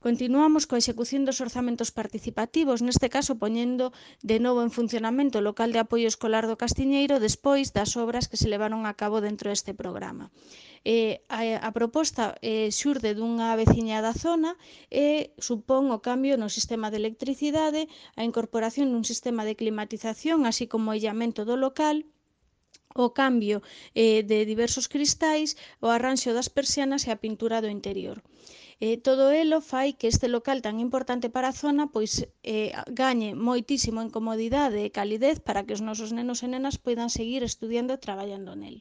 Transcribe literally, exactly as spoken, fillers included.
Continuamos coa execución dos orzamentos participativos, neste caso poñendo de novo en funcionamento o local de apoio escolar do Castiñeiro despois das obras que se levaron a cabo dentro deste programa. Eh, a, a proposta eh, xurde dunha veciña da zona e supón o cambio no sistema de electricidade, a incorporación dun sistema de climatización, así como o illamento do local, o cambio eh, de diversos cristais, o arranxo das persianas e a pintura do interior. Eh, todo elo fai que este local tan importante para a zona pois eh, gañe moitísimo en comodidade e calidez para que os nosos nenos e nenas poidan seguir estudiando e traballando nel.